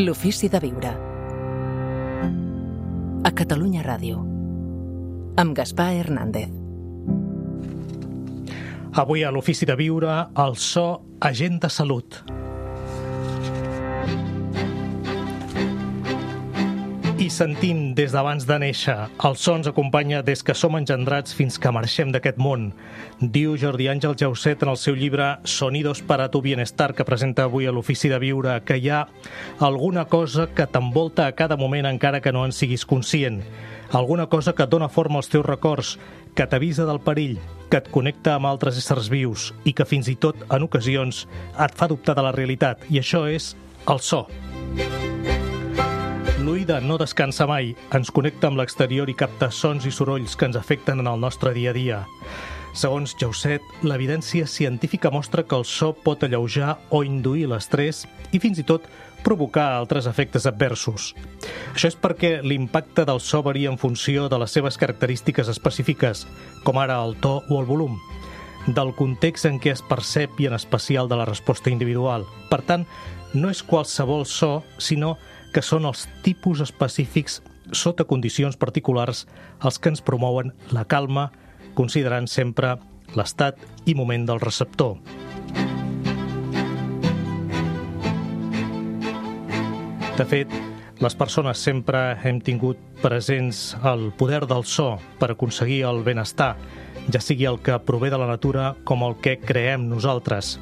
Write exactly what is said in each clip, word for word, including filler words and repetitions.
L'ofici de viure. A Catalunya Ràdio. Amb Gaspar Hernández. Avui a l'ofici de viure, el so agent de salut. I sentim des d'abans de néixer. El so ens acompanya des que som engendrats fins que marxem d'aquest món. Diu Jordi Àngel Jauset en el seu llibre Sonidos para tu bienestar, que presenta avui a l'ofici de viure, que hi ha alguna cosa que t'envolta a cada moment encara que no en siguis conscient. Alguna cosa que et dona forma als teus records, que t'avisa del perill, que et connecta amb altres éssers vius i que fins i tot, en ocasions, et fa dubtar de la realitat. I això és el so. L'oïda no descansa mai, ens connecta amb l'exterior i capta sons i sorolls que ens afecten en el nostre dia a dia. Segons Jauset, l'evidència científica mostra que el so pot alleujar o induir l'estrès i fins i tot provocar altres efectes adversos. Això és perquè l'impacte del so varia en funció de les seves característiques específiques, com ara el to o el volum, del context en què es percep i en especial de la resposta individual. Per tant, no és qualsevol so, sinó que són els tipus específics sota condicions particulars els que ens promouen la calma, considerant sempre l'estat i moment del receptor. De fet, les persones sempre hem tingut presents el poder del so per aconseguir el benestar, ja sigui el que prové de la natura com el que creem nosaltres.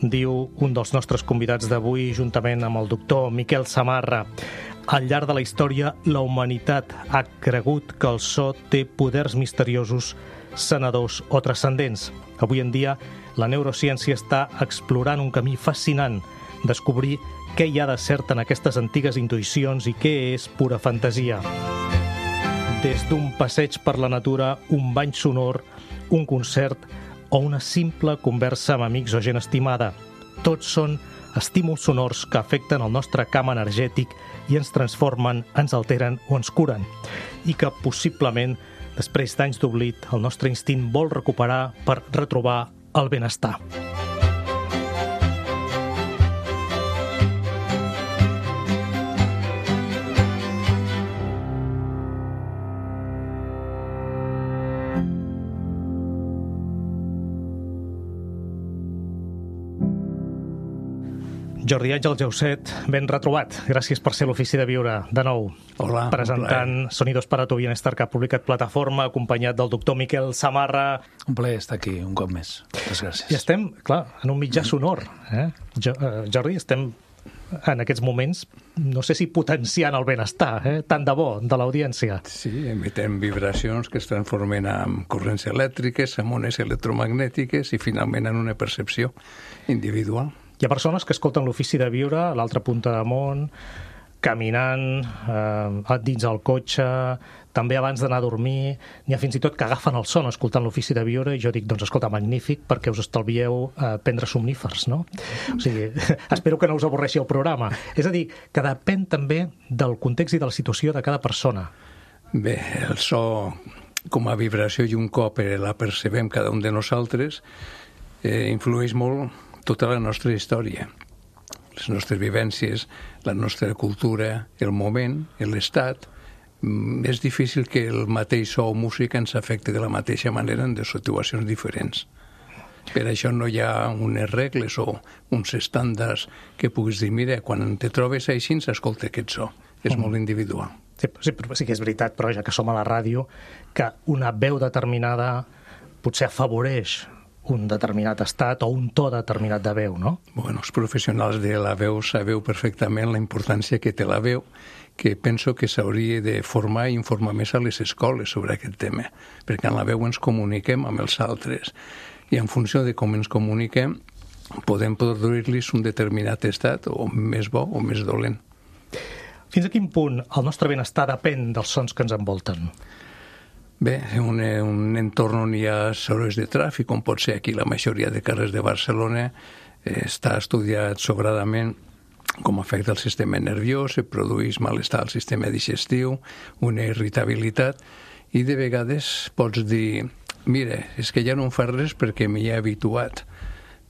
Diu un dels nostres convidats d'avui, juntament amb el doctor Miquel Samarra. Al llarg de la història, la humanitat ha cregut que el so té poders misteriosos, sanadors o transcendents. Avui en dia, la neurociència està explorant un camí fascinant, descobrir què hi ha de cert en aquestes antigues intuïcions i què és pura fantasia. Des d'un passeig per la natura, un bany sonor, un concert o una simple conversa amb amics o gent estimada. Tots són estímuls sonors que afecten el nostre camp energètic i ens transformen, ens alteren o ens curen. I que possiblement, després d'anys d'oblit, el nostre instint vol recuperar per retrobar el benestar. Jordi Àngel Jauset, ben retrobat. Gràcies per ser a l'ofici de viure de nou. Hola, presentant Sonidos para tu bienestar, que ha publicat Plataforma, acompanyat del doctor Miquel Samarra. Un plaer estar aquí un cop més. Moltes gràcies. I estem, clar, en un mitjà sonor. Eh? Jo, eh, Jordi, estem en aquests moments, no sé si potenciant el benestar, eh? Tant de bo, de l'audiència. Sí, emitem vibracions que es transformen en corrents elèctriques, en ones electromagnètiques i finalment en una percepció individual. Hi ha persones que escolten l'ofici de viure a l'altra punta de món, caminant, eh, dins el cotxe, també abans d'anar a dormir. N'hi ha fins i tot que agafen el son escoltant l'ofici de viure i jo dic, doncs escolta, magnífic, perquè us estalvieu eh, prendre somnífers, no? O sigui, espero que no us avorreixi el programa. És a dir, que depèn també del context i de la situació de cada persona. Bé, el so com a vibració i un cop la percebem cada un de nosaltres eh, influeix molt tota la nostra història, les nostres vivències, la nostra cultura, el moment, l'estat. És difícil que el mateix so o música ens afecti de la mateixa manera en dues situacions diferents. Per això no hi ha unes regles o uns estàndards que puguis dir, mira, quan te trobes així, s'escolta aquest so. És mm. molt individual. Sí, sí, sí que és veritat, però ja que som a la ràdio, que una veu determinada potser afavoreix un determinat estat o un to determinat de veu, no? Bueno, els professionals de la veu sabeu perfectament la importància que té la veu, que penso que s'hauria de formar i informar més a les escoles sobre aquest tema, perquè en la veu ens comuniquem amb els altres i en funció de com ens comuniquem podem produir-los un determinat estat o més bo o més dolent. Fins a quin punt el nostre benestar depèn dels sons que ens envolten? Bé, un, un entorn on hi ha sorolls de tràfic, com pot ser aquí la majoria de carrers de Barcelona, eh, està estudiat sobradament com afecta el sistema nerviós, se produeix malestar al sistema digestiu, una irritabilitat, i de vegades pots dir, mira, és que ja no em fa res perquè m'hi he habituat,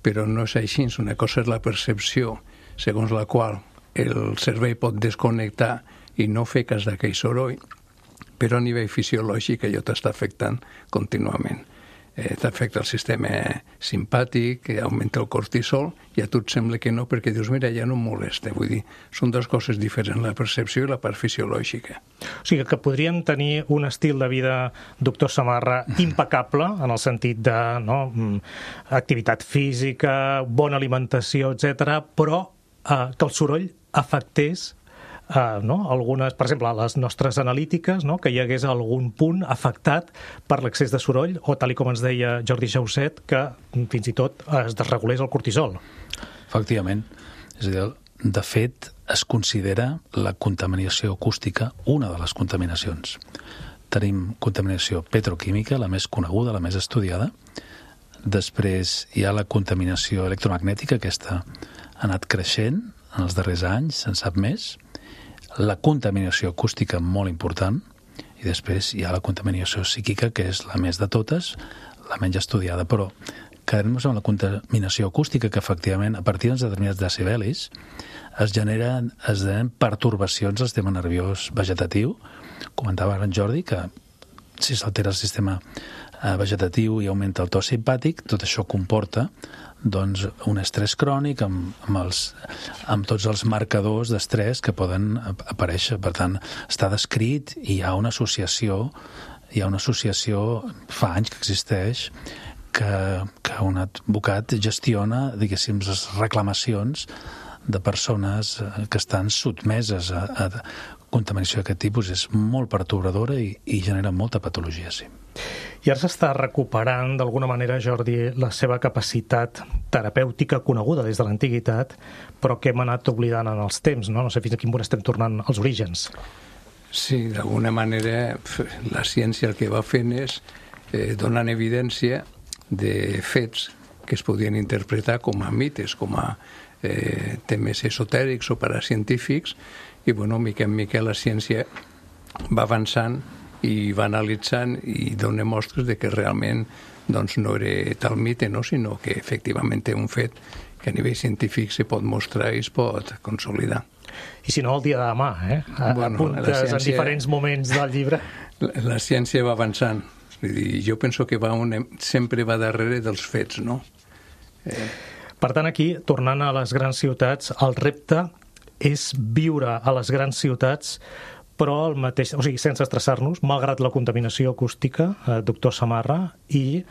però no és així. Una cosa és la percepció segons la qual el cervell pot desconnectar i no fer cas d'aquell soroll, però a nivell fisiològic allò t'està afectant contínuament. Eh, t'afecta el sistema simpàtic, augmenta el cortisol, i a tu et sembla que no, perquè dius, mira, ja no em molesta. Vull dir, són dues coses diferents, la percepció i la part fisiològica. O sigui que podríem tenir un estil de vida, doctor Samarra, impecable, en el sentit de no, activitat física, bona alimentació, etcètera, però eh, que el soroll afectés Uh, no? algunes, per exemple, les nostres analítiques, no? que hi hagués algun punt afectat per l'excés de soroll, o tal com ens deia Jordi Jauset, que fins i tot es desregulés el cortisol. Efectivament. És a dir, de fet, es considera la contaminació acústica una de les contaminacions. Tenim contaminació petroquímica, la més coneguda, la més estudiada. Després hi ha la contaminació electromagnètica, aquesta ha anat creixent en els darrers anys, se'n sap més. La contaminació acústica, molt important, i després hi ha la contaminació psíquica, que és la més de totes, la menys estudiada, però quedem-nos amb la contaminació acústica, que efectivament, a partir de determinats decibelis, es generen, es generen pertorbacions al sistema nerviós vegetatiu. Comentava ara en Jordi que si s'altera el sistema vegetatiu i augmenta el to simpàtic, tot això comporta doncs, un estrès crònic amb, amb, els, amb tots els marcadors d'estrès que poden aparèixer. Per tant, està descrit i hi ha una associació, hi ha una associació fa anys que existeix, que, que un advocat gestiona, diguéssim, les reclamacions de persones que estan sotmeses a, a contaminació d'aquest tipus. És molt pertorbadora i, i genera molta patologia, sí. I ara s'està recuperant, d'alguna manera, Jordi, la seva capacitat terapèutica coneguda des de l'antiguitat, però que hem anat oblidant en els temps, no? No sé fins a quin punt estem tornant als orígens. Sí, d'alguna manera la ciència el que va fent és eh, donant evidència de fets que es podien interpretar com a mites, com a eh, temes esotèrics o paracientífics, i bueno, mica en mica la ciència va avançant i va analitzant i dona mostres de que realment doncs, no era tal mite, no? Sinó que efectivament té un fet que a nivell científic se pot mostrar i es pot consolidar. I si no, el dia de demà, eh? A, bueno, apuntes ciència, en diferents moments del llibre. La, la ciència va avançant. Vull dir, jo penso que va un, sempre va darrere dels fets, no? Eh... Per tant, aquí, tornant a les grans ciutats, el repte és viure a les grans ciutats, però el mateix, o sigui, sense estressar-nos, malgrat la contaminació acústica, eh, doctor Samarra, i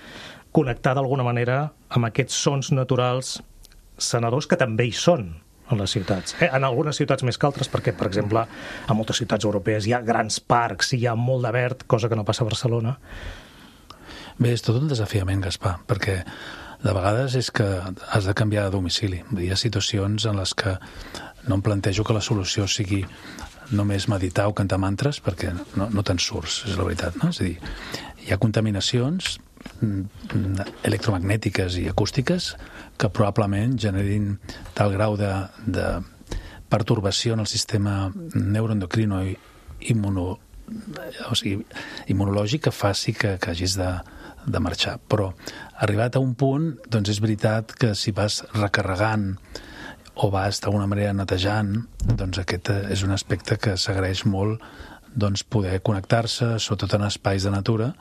connectar d'alguna manera amb aquests sons naturals sanadors que també hi són en les ciutats. Eh? En algunes ciutats més que altres, perquè, per exemple, a moltes ciutats europees hi ha grans parcs, hi ha molt de verd, cosa que no passa a Barcelona. Bé, és tot un desafiament, Gaspar, perquè de vegades és que has de canviar de domicili. Hi ha situacions en les que no em plantejo que la solució sigui només meditar o cantar mantres, perquè no, no te'n surts, és la veritat, no? És a dir, hi ha contaminacions electromagnètiques i acústiques que probablement generin tal grau de, de pertorbació en el sistema neuroendocrino i immuno, o sigui, immunològic que faci que, que hagis de, de marxar. Però arribat a un punt, doncs és veritat que si vas recarregant o vas d'alguna manera netejant, doncs aquest és un aspecte que s'agraeix molt, doncs poder connectar-se, sobretot en espais de natura,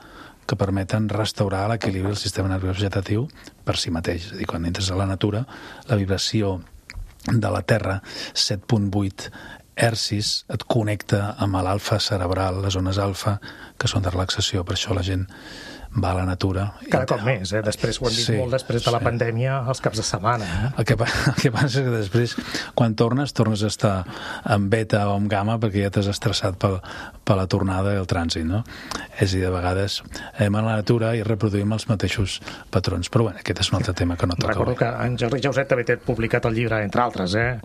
que permeten restaurar l'equilibri del sistema nerviós vegetatiu per si mateix. És a dir, quan entres a la natura, la vibració de la Terra, set coma vuit hertzis, et connecta amb l'alfa cerebral, les zones alfa, que són de relaxació. Per això la gent va a la natura. Cada cop més, eh? Després ho hem dit sí, molt després de la sí. pandèmia, els caps de setmana. Eh? El, que, el que passa és que després, quan tornes, tornes a estar en beta o en gamma perquè ja t'has estressat per, per la tornada i el trànsit, no? És a dir, de vegades anem a la natura i reproduïm els mateixos patrons. Però bueno, aquest és un altre tema que no toca. Recordo que en Jordi Jauset també té publicat el llibre, entre altres, eh?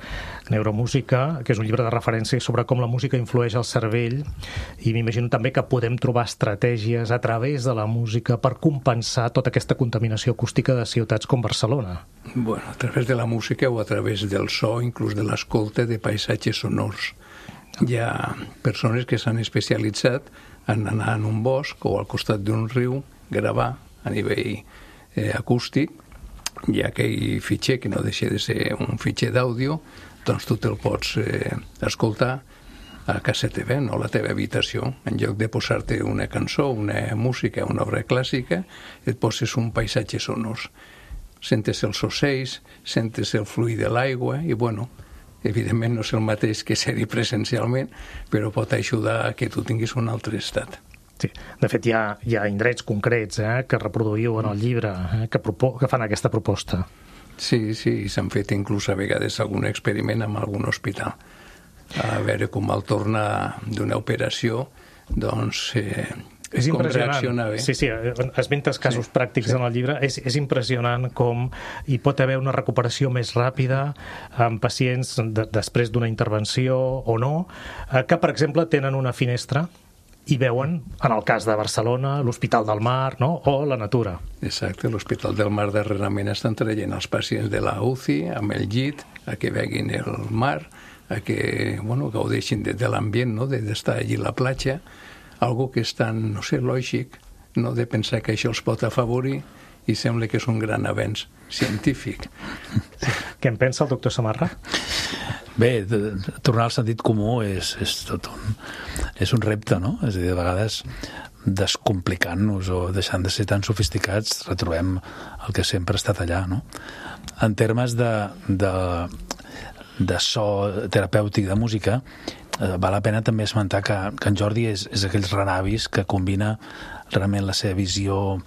Neuromúsica, que és un llibre de referència sobre com la música influeix al cervell, i m'imagino també que podem trobar estratègies a través de la música per compensar tota aquesta contaminació acústica de ciutats com Barcelona. Bueno, a través de la música o a través del so, inclús de l'escolta de paisatges sonors. Hi ha persones que s'han especialitzat en anar en un bosc o al costat d'un riu, gravar a nivell eh, acústic. Hi ha aquell fitxer que no deixa de ser un fitxer d'àudio doncs tu te'l pots eh, escoltar a casa teva, no a la teva habitació. En lloc de posar-te una cançó, una música, una obra clàssica, et poses un paisatge sonors. Sentes els ocells, sentes el fluir de l'aigua i, bueno, evidentment no és el mateix que ser-hi presencialment, però pot ajudar a que tu tinguis un altre estat. Sí. De fet, hi ha, hi ha indrets concrets eh, que reproduïu en el llibre, eh, que, propo que fan aquesta proposta. Sí, sí, s'han fet inclús a vegades algun experiment en algun hospital. A veure com al tornar d'una operació, doncs... Eh, és impressionant. Sí, sí, esmentes casos sí, pràctics sí. en el llibre. És, és impressionant com hi pot haver una recuperació més ràpida en pacients de, després d'una intervenció o no, que, per exemple, tenen una finestra i veuen, en el cas de Barcelona, l'Hospital del Mar, no? O la natura. Exacte, l'Hospital del Mar darrerament estan traient els pacients de la U C I amb el llit a que veguin el mar, a que bueno, gaudeixin de, de l'ambient, no? d'estar allí a la platja, algo que és tan, no sé, lògic, no? de pensar que això els pot afavorir i sembla que és un gran avenç científic. Què en pensa el doctor Samarra? Bé, de, de, tornar al sentit comú és, és tot un, és un repte, no? És a dir, de vegades descomplicant-nos o deixant de ser tan sofisticats retrobem el que sempre ha estat allà, no? En termes de, de, de so terapèutic de música, eh, val la pena també esmentar que, que en Jordi és, és aquells renavis que combina realment la seva visió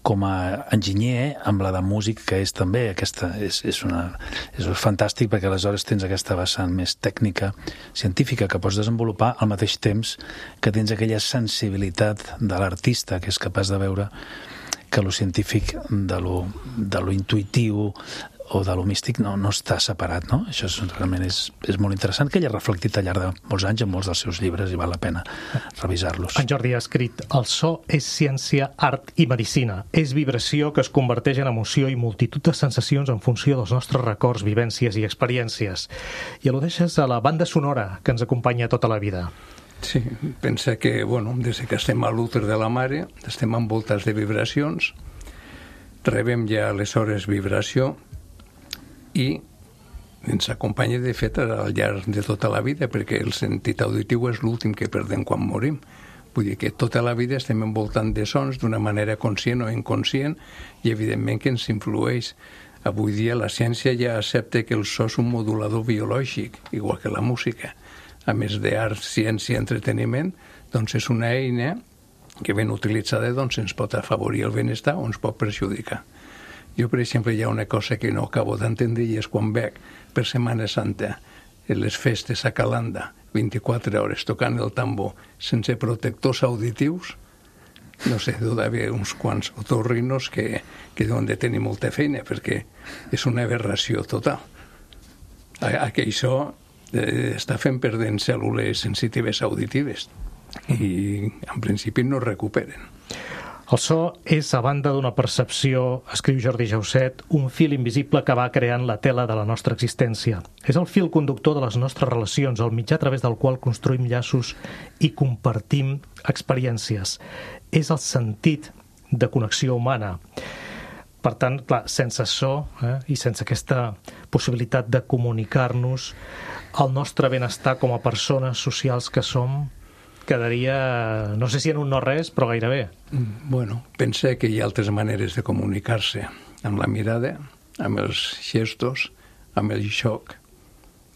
com a enginyer amb la de músic que és també aquesta, és, és, una, és fantàstic perquè aleshores tens aquesta vessant més tècnica, científica que pots desenvolupar al mateix temps que tens aquella sensibilitat de l'artista que és capaç de veure que lo científic de lo, de lo intuitiu o de lo místic no, no està separat, no? Això és, realment és, és molt interessant, que ell ha reflectit al llarg de molts anys en molts dels seus llibres i val la pena revisar-los. En Jordi ha escrit: el so és ciència, art i medicina. És vibració que es converteix en emoció i multitud de sensacions en funció dels nostres records, vivències i experiències. I al·ludeixes a la banda sonora que ens acompanya tota la vida. Sí, pensa que, bueno, des que estem a l'úter de la mare, estem envoltats de vibracions, rebem ja aleshores vibració, i ens acompanya, de fet, al llarg de tota la vida, perquè el sentit auditiu és l'últim que perdem quan morim. Vull dir que tota la vida estem envoltant de sons d'una manera conscient o inconscient i, evidentment, que ens influeix. Avui dia la ciència ja accepta que el so és un modulador biològic, igual que la música. A més d'art, ciència i entreteniment, doncs és una eina que ben utilitzada doncs, ens pot afavorir el benestar o ens pot perjudicar. Jo, per exemple, hi ha una cosa que no acabo d'entendre i és quan veig per Setmana Santa en les festes a Calanda vint-i-quatre hores tocant el tambor sense protectors auditius, no sé, deu d'haver uns quants otorrinos que, que deuen de tenir molta feina perquè és una aberració total. Aquell so eh, està fent perdent cèl·lules sensitives auditives i en principi no es recuperen. El so és, a banda d'una percepció, escriu Jordi Jausset, un fil invisible que va creant la tela de la nostra existència. És el fil conductor de les nostres relacions, el mitjà a través del qual construïm llaços i compartim experiències. És el sentit de connexió humana. Per tant, clar, sense so eh, i sense aquesta possibilitat de comunicar-nos, el nostre benestar com a persones socials que som quedaria, no sé si en un no res, però gairebé. Bueno, pensa que hi ha altres maneres de comunicar-se, amb la mirada, amb els gestos, amb el xoc,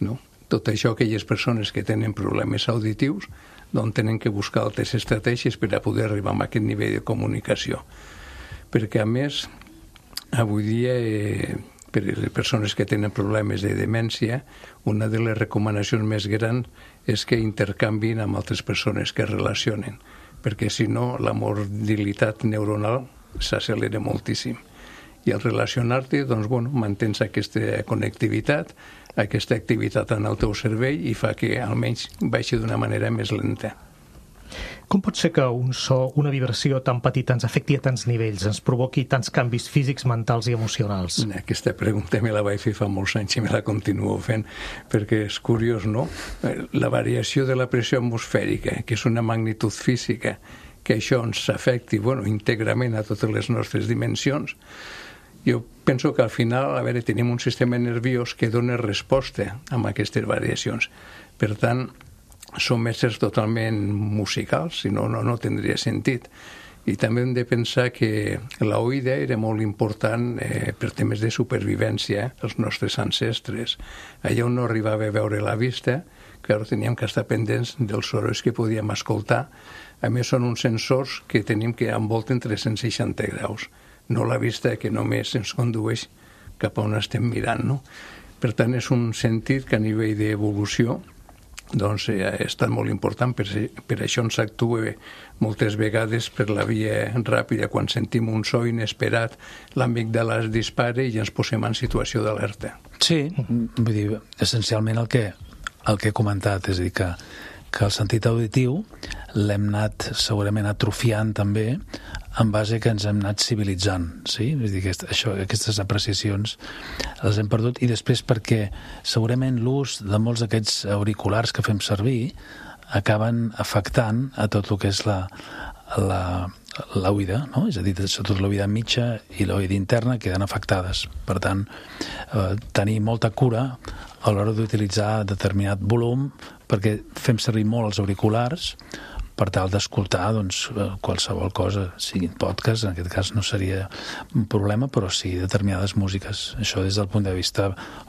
no? Tot això, aquelles persones que tenen problemes auditius, doncs tenen que buscar altres estratègies per a poder arribar a aquest nivell de comunicació. Perquè, a més, avui dia, eh, per a les persones que tenen problemes de demència, una de les recomanacions més grans és que intercanvin amb altres persones que es relacionen, perquè si no la mortalitat neuronal s'accelera moltíssim. I al relacionar-te, doncs, bueno, mantens aquesta connectivitat, aquesta activitat en el teu cervell i fa que almenys baixi d'una manera més lenta. Com pot ser que un so, una vibració tan petita ens afecti a tants nivells, ens provoqui tants canvis físics, mentals i emocionals? Aquesta pregunta me la vaig fer fa molts anys i me la continuo fent, perquè és curiós, no? La variació de la pressió atmosfèrica, que és una magnitud física, que això ens afecti, bueno, íntegrament a totes les nostres dimensions, Jo penso que al final, a veure, tenim un sistema nerviós que dona resposta a aquestes variacions. Per tant, som éssers totalment musicals, si no, no, no tindria sentit. I també hem de pensar que l'oïda era molt important eh, per temes de supervivència, els nostres ancestres. Allà on no arribava a veure la vista, clar, teníem que estar pendents dels sorolls que podíem escoltar. A més, són uns sensors que tenim que envolten tres cents seixanta graus, no la vista que només ens condueix cap a on estem mirant, no? Per tant, és un sentit que a nivell d'evolució doncs eh, ha estat molt important, per, per això ens actua moltes vegades per la via ràpida. Quan sentim un so inesperat, l'amígdala es dispara i ens posem en situació d'alerta. Sí, vull dir, essencialment el que, el que he comentat, és a dir, que, que el sentit auditiu l'hem anat segurament atrofiant també en base que ens hem anat civilitzant, sí? És a dir, aquest, això, aquestes apreciacions les hem perdut, i després perquè segurament l'ús de molts d'aquests auriculars que fem servir acaben afectant a tot el que és la, la, l'oïda, no? És a dir, sobretot l'oïda mitja i l'oïda interna queden afectades. Per tant, eh, tenir molta cura a l'hora d'utilitzar determinat volum, perquè fem servir molt els auriculars per tal d'escoltar doncs, qualsevol cosa, siguin podcast, en aquest cas no seria un problema, però sí determinades músiques. Això des del punt de vista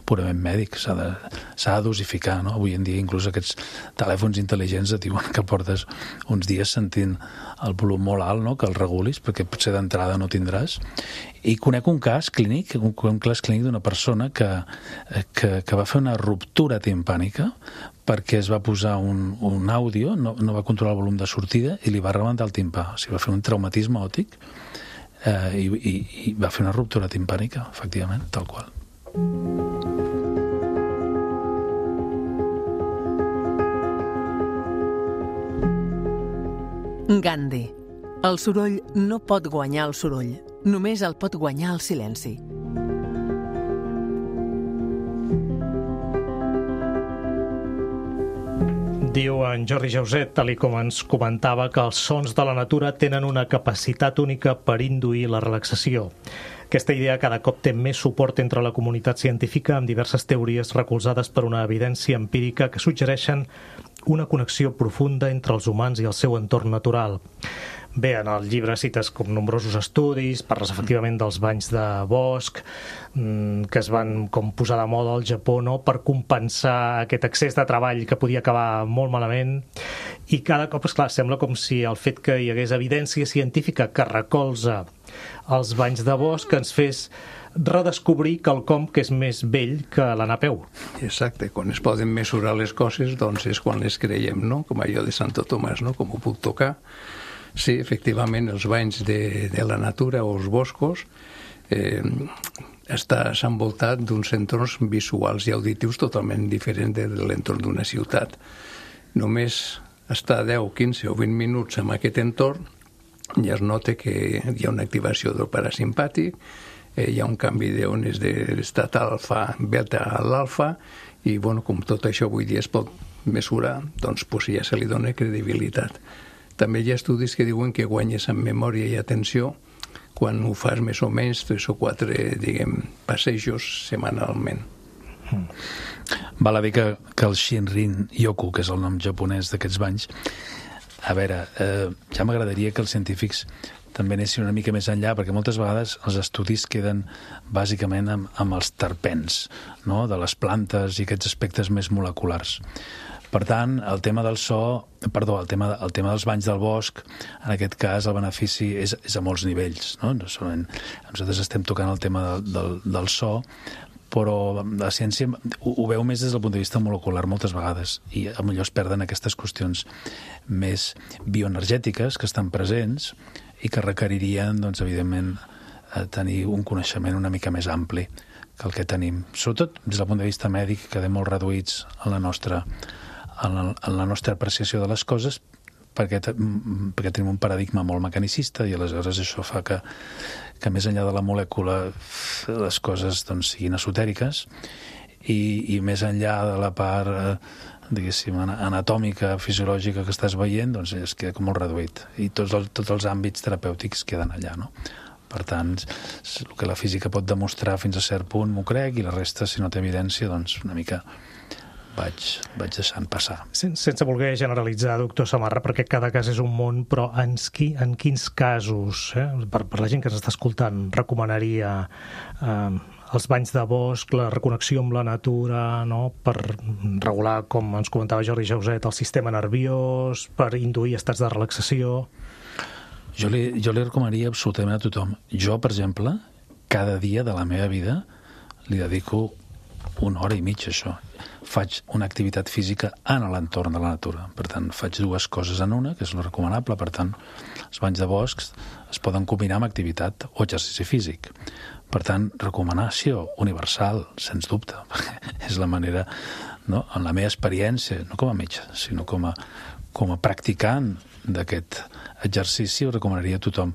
purament mèdic s'ha de, s'ha de dosificar, no? Avui en dia inclús aquests telèfons intel·ligents et diuen que portes uns dies sentint el volum molt alt, no? Que el regulis, perquè potser d'entrada no tindràs. I conec un cas clínic, un, un cas clínic d'una persona que, que, que va fer una ruptura timpànica perquè es va posar un, un àudio, no, no va controlar el volum de sortida i li va rebentar el timpà. O sigui, va fer un traumatisme òptic eh, i, i, i va fer una ruptura timpànica, efectivament, tal qual. Gandhi. El soroll no pot guanyar el soroll, només el pot guanyar el silenci. Diu en Jordi Jauset, tal com ens comentava, que els sons de la natura tenen una capacitat única per induir la relaxació. Aquesta idea cada cop té més suport entre la comunitat científica, amb diverses teories recolzades per una evidència empírica que suggereixen una connexió profunda entre els humans i el seu entorn natural. Bé, en el llibre cites com nombrosos estudis, parles efectivament dels banys de bosc, que es van com posar de moda al Japó, no?, per compensar aquest excés de treball que podia acabar molt malament. I cada cop, esclar, sembla com si el fet que hi hagués evidència científica que recolza els banys de bosc ens fes redescobrir quelcom que és més vell que l'anar a peu. Exacte, quan es poden mesurar les coses, doncs és quan les creiem, no? Com allò de Santo Tomàs, no? Com ho puc tocar. Sí, efectivament, els banys de, de la natura o els boscos eh, estàs envoltat d'uns entorns visuals i auditius totalment diferents de l'entorn d'una ciutat. Només estar deu, quinze o vint minuts en aquest entorn ja es nota que hi ha una activació del parasimpàtic, eh, hi ha un canvi d'ones de l'estat alfa, beta a l'alfa, i bueno, com tot això avui dia es pot mesurar, doncs, pues ja se li dona credibilitat. També hi ha estudis que diuen que guanyes en memòria i atenció quan ho fas més o menys tres o quatre, diguem, passejos setmanalment. Mm. Val a dir que, que el Shinrin Yoku, que és el nom japonès d'aquests banys, a veure, eh, ja m'agradaria que els científics també anessin una mica més enllà, perquè moltes vegades els estudis queden bàsicament amb, amb els terpens, no?, de les plantes i aquests aspectes més moleculars. Per tant, el tema del so, perdó, el tema, el tema dels banys del bosc, en aquest cas el benefici és, és a molts nivells, no? No solament, nosaltres estem tocant el tema del, del, del so, però la ciència ho, ho veu més des del punt de vista molecular moltes vegades, i potser es perden aquestes qüestions més bioenergètiques que estan presents i que requeririen, doncs, evidentment, tenir un coneixement una mica més ampli que el que tenim. Sobretot des del punt de vista mèdic, quedem molt reduïts en la nostra en la, en la nostra apreciació de les coses, perquè, perquè tenim un paradigma molt mecanicista, i aleshores això fa que, que més enllà de la molècula les coses, doncs, siguin esotèriques, i, i més enllà de la part eh, diguéssim, anatòmica, fisiològica que estàs veient, doncs es queda com molt reduït, i tots, el, tots els àmbits terapèutics queden allà, no? Per tant, el que la física pot demostrar fins a cert punt m'ho crec, i la resta, si no té evidència, doncs una mica vaig, vaig deixant passar. Sen, sense voler generalitzar, doctor Samarra, perquè cada cas és un món, però en, qui, en quins casos, eh, per, per la gent que ens està escoltant, recomanaria eh, els banys de bosc, la reconnexió amb la natura, no? Per regular, com ens comentava Jordi Jauset, el sistema nerviós, per induir estats de relaxació? Jo li, jo li recomanaria absolutament a tothom. Jo, per exemple, cada dia de la meva vida li dedico una hora i mitja a això. Faig una activitat física en l'entorn de la natura. Per tant, faig dues coses en una, que és lo recomanable. Per tant, els banys de boscs es poden combinar amb activitat o exercici físic. Per tant, recomanació universal, sens dubte, perquè és la manera, no? En la meva experiència, no com a metge, sinó com a, com a practicant d'aquest exercici, ho recomanaria a tothom.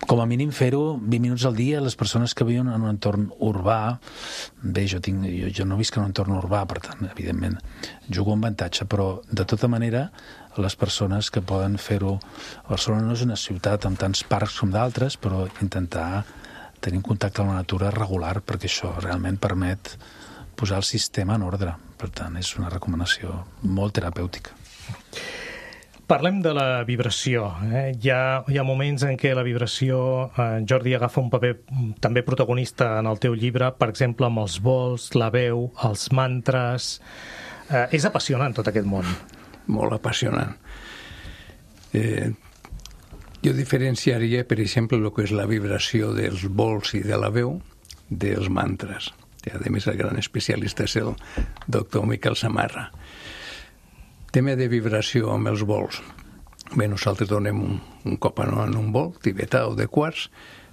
Com a mínim fer-ho vint minuts al dia a les persones que viuen en un entorn urbà. Bé, jo, tinc, jo, jo no visc en un entorn urbà, per tant, evidentment, jugo un avantatge, però de tota manera les persones que poden fer-ho... Barcelona no és una ciutat amb tants parcs com d'altres, però intentar tenir un contacte amb la natura regular, perquè això realment permet posar el sistema en ordre. Per tant, és una recomanació molt terapèutica. Parlem de la vibració. Eh? Hi, ha, hi ha moments en què la vibració, eh, Jordi, agafa un paper també protagonista en el teu llibre, per exemple, amb els vols, la veu, els mantres. Eh, és apassionant tot aquest món. Molt apassionant. Eh, jo diferenciaria, per exemple, el que és la vibració dels vols i de la veu dels mantres. I, a més, el gran especialista és el doctor Miquel Samarra. Tema de vibració amb els vols. Bé, nosaltres donem un, un cop en un vol tibetà o de quars.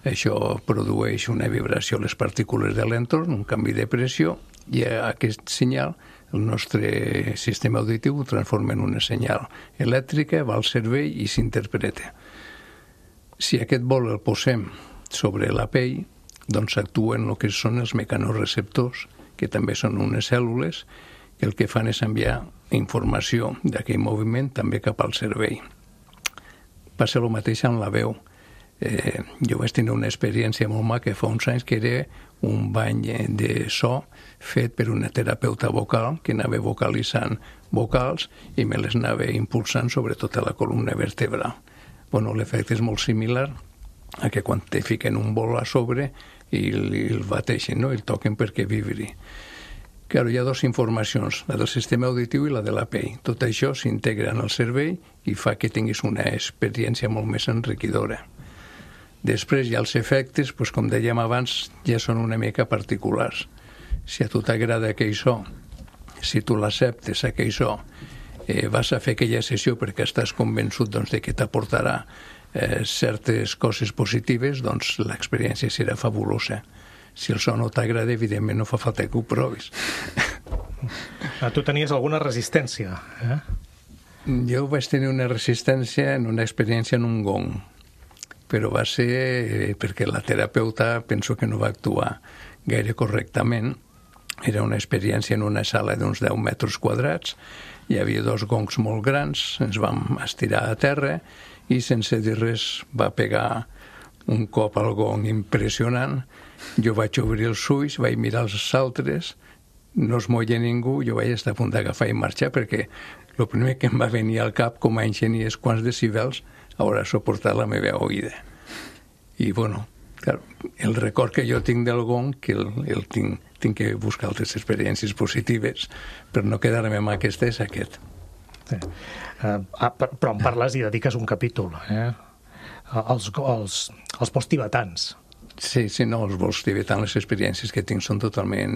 Això produeix una vibració a les partícules de l'entorn, un canvi de pressió, i aquest senyal el nostre sistema auditiu ho transforma en una senyal elèctrica, va al cervell i s'interpreta. Si aquest vol el posem sobre la pell, doncs actuen el que són els mecanorreceptors, que també són unes cèl·lules, que el que fan és enviar informació d'aquell moviment també cap al cervell. Passa el mateix amb la veu. Eh, jo vaig tenir una experiència molt maca fa uns anys, que era un bany de so fet per una terapeuta vocal que anava vocalitzant vocals i me les anava impulsant sobre tota la columna vertebral. Bueno, l'efecte és molt similar a que quan te fiquen un bol a sobre i el bateixen, no? I el toquen perquè vibri. Claro, hi ha dues informacions, la del sistema auditiu i la de la pell. Tot això s'integra en el cervell i fa que tinguis una experiència molt més enriquidora. Després hi ha els efectes, doncs, com dèiem abans, ja són una mica particulars. Si a tu t'agrada aquell so, si tu l'acceptes, aquell so, eh, vas a fer aquella sessió perquè estàs convençut, doncs, de que t'aportarà eh, certes coses positives, doncs l'experiència serà fabulosa. Si el so no t'agrada, evidentment no fa falta que ho provis. Tu tenies alguna resistència, eh? Jo vaig tenir una resistència en una experiència en un gong, però va ser perquè la terapeuta penso que no va actuar gaire correctament. Era una experiència en una sala d'uns deu metres quadrats, hi havia dos gongs molt grans, ens vam estirar a terra i sense dir res va pegar un cop al gong impressionant. Jo vaig obrir els ulls, vaig mirar els altres, no es moia ningú, jo vaig estar a punt d'agafar i marxar perquè el primer que em va venir al cap com a enginyer és quants decibels haurà suportat la meva oïda. I, bueno, clar, el record que jo tinc del gong, que el, el tinc, tinc que buscar altres experiències positives per no quedar-me amb aquesta, és aquest. Sí. Uh, però em parles i dediques un capítol, eh? Els, els, els vols tibetans. Sí, sí, no, els vols tibetans, les experiències que tinc són totalment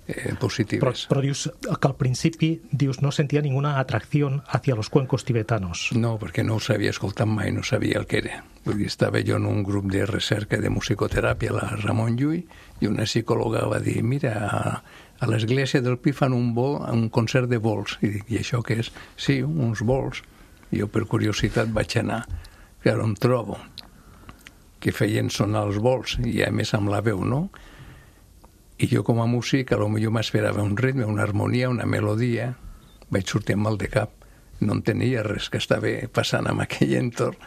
eh, positives. Però, però dius que al principi dius no sentia ninguna atracció hacia los cuencos tibetanos. No, perquè no els havia escoltat mai, no sabia el que era. Vull dir, estava jo en un grup de recerca de musicoteràpia, la Ramon Llull, i una psicòloga va dir, mira, a, a l'església del Pi fan un vol, un concert de vols. I dic, i això què és? Sí, uns vols. I jo per curiositat vaig anar. Clar, em trobo que feien sonar els vols, i a més amb la veu, no? I jo com a músic, a lo millor m'esperava un ritme, una harmonia, una melodia, vaig sortir amb mal de cap. No entenia res que estava passant en aquell entorn,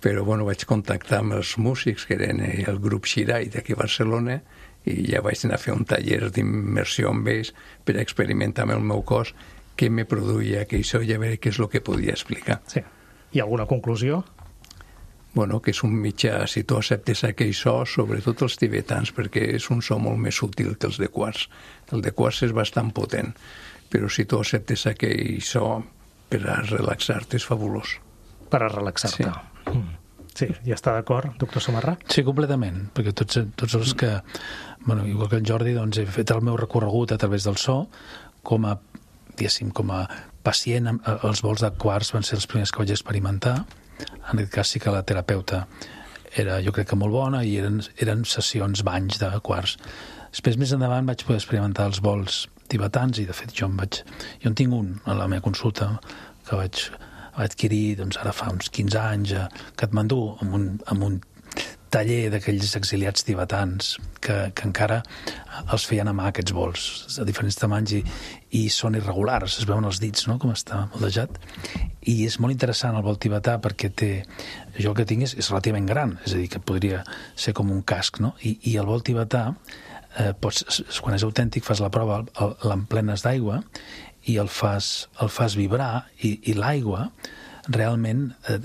però bueno, vaig contactar amb els músics, que eren el grup Xirai d'aquí a Barcelona, i ja vaig anar a fer un taller d'immersió amb ells per experimentar amb el meu cos què me produïa aquell so i a veure què és el que podia explicar. Sí. I alguna conclusió? Bueno, que és un mitjà, si tu acceptes aquell so, sobretot els tibetans, perquè és un so molt més sutil que els de quars. El de quars és bastant potent, però si tu acceptes aquell so, per a relaxar-te és fabulós. Per a relaxar-te. Sí. Mm. Sí, ja està d'acord, doctor Samarra? Sí, completament, perquè tots, tots els que, bueno, igual que en Jordi, doncs he fet el meu recorregut a través del so, com a, diguéssim, com a pacient, els vols de quarts van ser els primers que vaig experimentar. En aquest cas sí que la terapeuta era, jo crec que molt bona, i eren, eren sessions banys de quarts. Després, més endavant, vaig poder experimentar els vols tibetans, i de fet jo en vaig, jo en tinc un a la meva consulta que vaig, vaig adquirir doncs, ara fa uns quinze anys a Katmandú, amb un, amb un taller d'aquells exiliats tibetans que, que encara els feien a mà, aquests vols, de diferents tamanys, i, i són irregulars, es veuen els dits, no?, com està moldejat. I és molt interessant el vol tibetà perquè té, jo el que tinc és, és relativament gran, és a dir, que podria ser com un casc, no? I, i el vol tibetà, eh, pots, quan és autèntic, fas la prova, l'emplenes d'aigua i el fas, el fas vibrar, i, i l'aigua realment eh,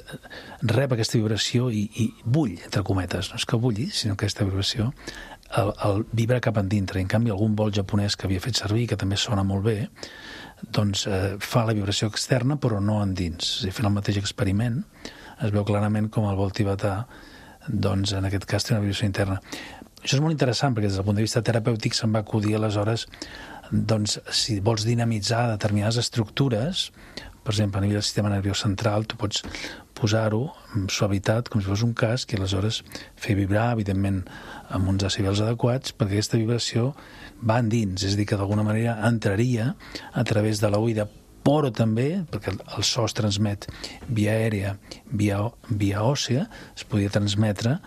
rep aquesta vibració i, i bull, entre cometes, no és que bulli, sinó que aquesta vibració el, el vibra cap endintre. En canvi, algun vol japonès que havia fet servir, que també sona molt bé, doncs eh, fa la vibració externa però no endins. És a dir, fent el mateix experiment es veu clarament com el vol tibetà, doncs en aquest cas té una vibració interna. Això és molt interessant perquè des del punt de vista terapèutic se'm va acudir aleshores, doncs si vols dinamitzar determinades estructures, per exemple, a nivell del sistema nerviós central, tu pots posar-ho amb suavitat, com si fos un casc, i aleshores fer vibrar, evidentment, amb uns decibels adequats, perquè aquesta vibració va endins, és a dir, que d'alguna manera entraria a través de l'oïda, però també, perquè el so es transmet via aèria, via, via òssea, es podia transmetre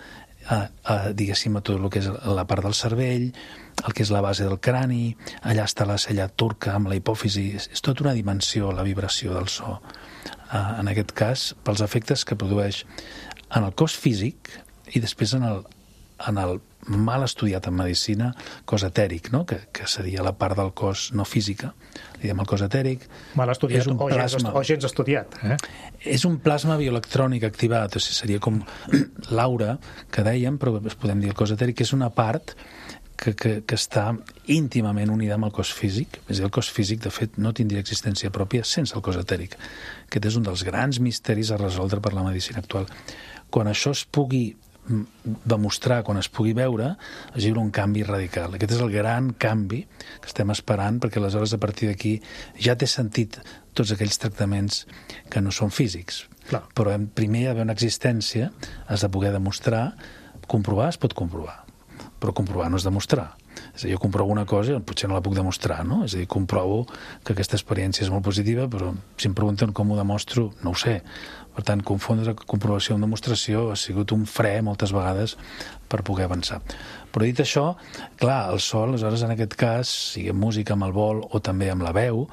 a, a, diguéssim, a tot el que és la part del cervell, el que és la base del crani, allà està la cella turca amb la hipòfisi, és, és tota una dimensió, la vibració del so. Uh, en aquest cas, pels efectes que produeix en el cos físic i després en el, en el mal estudiat en medicina cos etèric, no? que, que seria la part del cos no física. Li diem el cos etèric. Mal estudiat o, gens, o gens estudiat. Eh? És un plasma bioelectrònic activat, o sigui, seria com l'aura que dèiem, però podem dir el cos etèric, que és una part que, que, que està íntimament unida amb el cos físic. És a dir, el cos físic, de fet, no tindria existència pròpia sense el cos etèric. Aquest és un dels grans misteris a resoldre per la medicina actual. Quan això es pugui demostrar, quan es pugui veure, es lliura un canvi radical. Aquest és el gran canvi que estem esperant, perquè aleshores a partir d'aquí ja té sentit tots aquells tractaments que no són físics. Clar. Però primer hi ha d'haver una existència, has de poder demostrar, comprovar es pot comprovar, però comprovar no és demostrar. És a dir, jo comprovo una cosa i potser no la puc demostrar, no? És a dir, comprovo que aquesta experiència és molt positiva, però si em pregunten com ho demostro, no ho sé. Per tant, confondre comprovació amb demostració ha sigut un fre moltes vegades per poder avançar. Però dit això, clar, el so, aleshores, en aquest cas, sigui amb música, amb el vol o també amb la veu,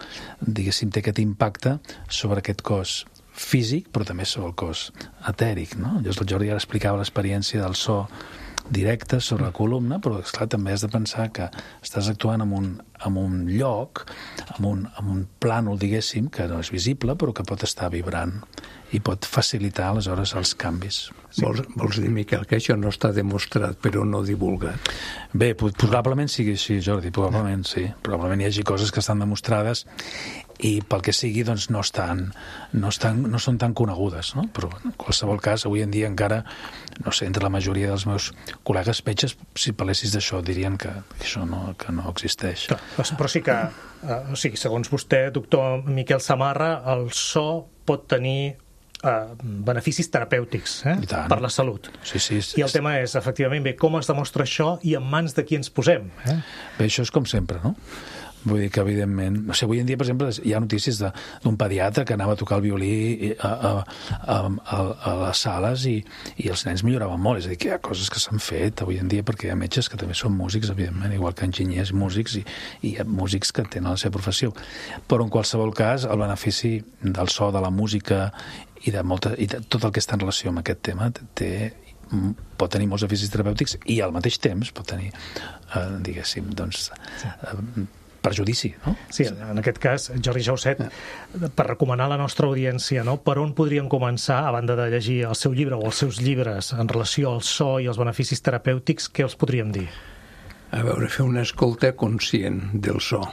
diguéssim, té aquest impacte sobre aquest cos físic, però també sobre el cos etèric, no? Llavors el Jordi ara explicava l'experiència del so directe sobre la columna, però esclar, també has de pensar que estàs actuant en un, en un lloc, en un, en un plànol, diguéssim, que no és visible, però que pot estar vibrant i pot facilitar, aleshores, els canvis. Sí. Vols, vols dir, Miquel, que això no està demostrat, però no divulgat? Bé, probablement sigui així, Jordi, probablement sí. Probablement hi hagi coses que estan demostrades i pel que sigui, doncs, no, estan, no, estan, no són tan conegudes, no? Però en qualsevol cas, avui en dia encara, no sé, entre la majoria dels meus col·legues metges, si parlessis d'això, dirien que això no, que no existeix. Però, però sí que, eh, o sigui, segons vostè, doctor Miquel Samarra, el so pot tenir eh, beneficis terapèutics eh, per la salut. Sí, sí, sí. I el tema és, efectivament, bé, com es demostra això i en mans de qui ens posem. Eh? Bé, això és com sempre, no? Vull dir que, evidentment... No sé, avui en dia, per exemple, hi ha notícies d'un pediatre que anava a tocar el violí a, a, a, a, a les sales i, i els nens milloraven molt. És a dir, que hi ha coses que s'han fet avui en dia perquè hi ha metges que també són músics, evidentment, igual que enginyers músics i, i hi ha músics que tenen la seva professió. Però, en qualsevol cas, el benefici del so, de la música i de, molta, i de tot el que està en relació amb aquest tema té, pot tenir molts beneficis terapèutics i al mateix temps pot tenir, eh, diguéssim, doncs, eh, perjudici, no? Sí, en aquest cas, Jordi Jauset, per recomanar a la nostra audiència, no? Per on podrien començar, a banda de llegir el seu llibre o els seus llibres en relació al so i als beneficis terapèutics, què els podríem dir? A veure, fer una escolta conscient del so,